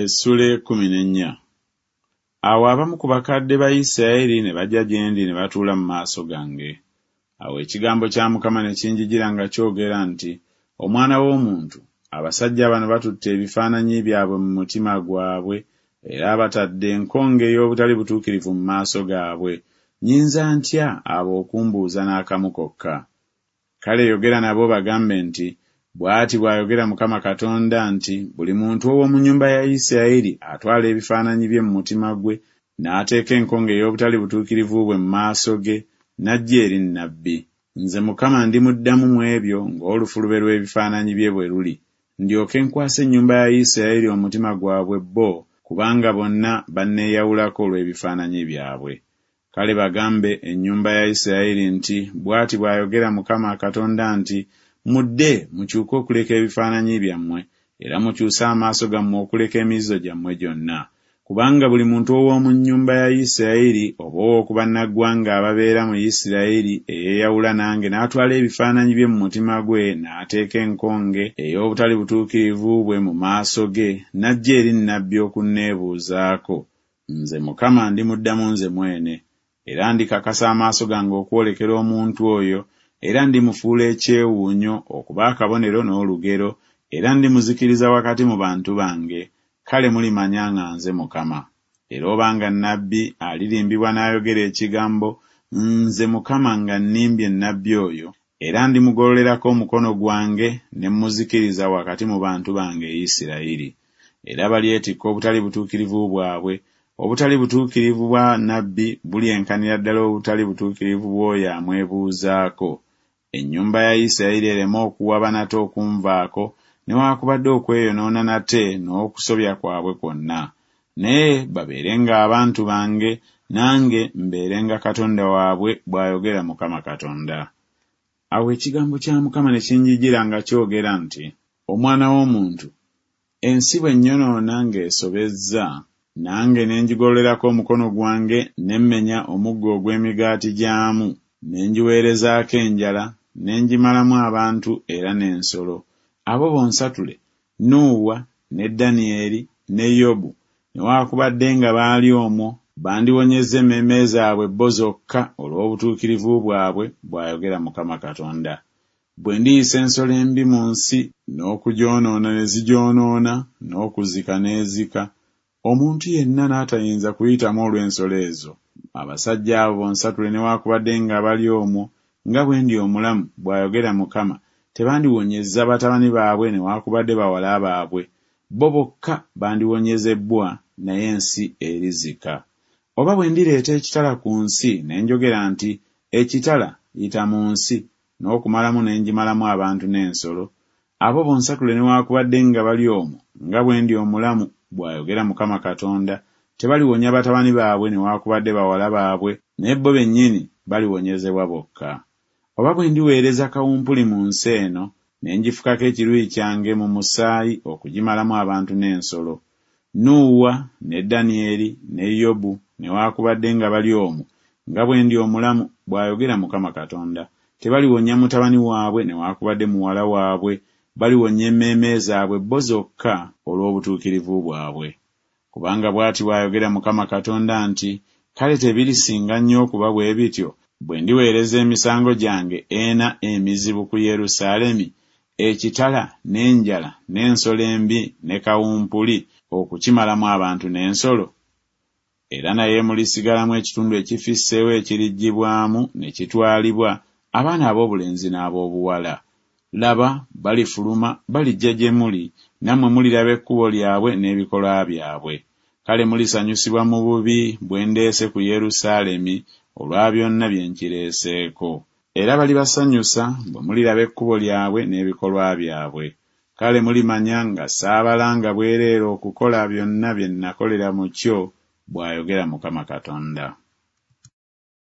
Essuula 14. Awo abamu ku bakadde ba Isirayiri ne bajja gye ndi ne batuula mu maaso gange. Awo ekigambo kya Mukama ne kinjijira nga kyogera nti, Omwana w'omuntu, abasajja bano batutte ebifaananyi byabwe mu mutima gwabwe, era batadde enkonge ey'obutali butuukirivu mu maaso gaabwe, nnyinza ntya abo okumbuuza n'akamu kokka? Kale yogera nabo obagambe nti, Bw'ati bw'ayogera Mukama Katonda nti, Buli muntu ow'omu nnyumba ya Isirayiri atwala ebifaananyi bye mu mutima gwe, n'ateeka enkonge ey'obutali butuukirivu bwe mu maaso ge, n'ajja eri nnabbi, nze Mukama ndimuddamu mu ebyo ng'olufulube lw'ebifaananyi bye bwe luli, ndyoke nkwase ennyumba ya Isirayiri omutima gwabwe bo, kubanga bonna banneeyawulako olw'ebifaananyi byabwe. Kale bagambe ennyumba ya Isirayiri nti, Bw'ati bw'ayogera Mukama Katonda nti, Mudde, mukyuke okuleka ebifaananyi byammwe, era mukyuse amaaso gammwe okuleka emizizo gyammwe gyonna. Kubanga buli muntu ow'omu nnyumba ya Isirayiri oba ow'oku bannaggwanga ababeera mu Isirayiri eyeeyawula nange n'atwala ebifaananyi bye mu mutima gwe n'ateeka enkonge ey'obutali butuukirivu bwe mu maaso ge n'ajja eri nnabbi okunneebuuzaako, nze Mukama ndimuddamu nze mwene. Era ndikakasa amaaso gange okwolekera omuntu oyo, era ndimufuula ekyewuunyo, okuba akabonero n'olugero, era ndimuzikiriza wakati mu bantu bange, kale mulimanya nga nze Mukama. Era obanga nnabbi alirimbibwa n'ayogera ekigambo, nze Mukama nga nnimbye nnabbi oyo, era ndimugololerako omukono gwange ne mmuzikiriza wakati mu bantu bange Isirayiri. Era balyetikka obutali butuukirivu bwabwe, obutali butuukirivu bwa nnabbi bulyenkanira ddala obutali butuukirivu bw'oyo amwebuuzaako, ennyumba ya Isirayiri ereme okuwaba nate okunvaako newaakubadde okweyonoona nate n'okusobya kwabwe kwonna, naye babeerenga abantu bange, nange mbeerenga Katonda waabwe, bw'ayogera Mukama Katonda. Awo ekigambo kya Mukama ne kinjijira nga kyogera nti, Omwana w'omuntu, ensi bw'ennyonoona ng'esobezza, nange ne ngigololerako omukono gwange ne mmenya omuggo ogw'emigaati gyamu, ne ngiweerezaako enjala, ne ngimalamu abantu era n'ensolo, abo bonsatule, Nuuwa, ne Danyeri, ne Yobu, newaakubadde nga baali omwo, bandiwonyezza emmeeme zaabwe bo zokka olw'obutuukirivu bwabwe, bw'ayogera Mukama Katonda. Bwe ndiyisa ensolo embi mu nsi, n'okugyonoona ne zigyonoona, n'okuzika n'ezika, omuntu yenna n'atayinza kuyitamu olw'ensolo ezo, abasajja abo bonsatule newaakubadde nga bali omwo, nga bwe ndi omulamu, bw'ayogera Mukama, tebandiwonyezza batabani baabwe newaakubadde bawala baabwe, bo bokka bandiwonyezebbwa, naye ensi erizika. Oba bwe ndireeta ekitala ku nsi, ne njogera nti Ekitala, yita mu nsi, n'okumalamu ne ngimalamu abantu n'ensolo, abo bonsatule newaakubadde nga bali omwo, nga bwe ndi omulamu, bw'ayogera Mukama Katonda, tebaliwonya batabani baabwe newaakubadde bawala baabwe, naye bo bennyini baliwonyezebwa bokka. Oba bwe ndiweereza kawumpuli mu nsi eno, ne ngifukako ekiruyi kyange mu musaayi okugimalamu abantu n'ensolo, Nuuwa, ne Danyeri, ne Yobu, newaakubadde nga bali omwo, nga bwe ndi omulamu, bw'ayogera Mukama Katonda, tebaliwonya mutabani waabwe newaakubadde muwala waabwe, baliwonya emmeeme zaabwe bo zokka olw'obutuukirivu bwabwe. Kubanga bw'ati bw'ayogera Mukama Katonda nti Kale tebirisinga nnyo okuba bwe bityo, bwe ndiweereza emisango gyange ena emizibu ku Yerusaalemi, ekitala, n'enjala, n'ensolo embi, ne kawumpuli, okukimalamu abantu n'ensolo? Era naye mulisigalamu ekitundu ekifisseewo ekiriggyibwamu ne kitwalibwa, abaana ab'obulenzi n'ab'obuwala. Laba, balifuluma, balijja gye muli, nammwe muliraba ekkubo lyabwe n'ebikolwa byabwe. Kale mulisanyusibwa mu bubi bwe ndeese ku Yerusaalemi olwa byonna bye nkireeseeko. Era balibasanyusa bwe muliraba ekkubo lyabwe n'ebikolwa byabwe. Kale mulimanya nga saabalanga bwereere okukola byonna bye nnakolera mu kyo, bw'ayogera Mukama Katonda.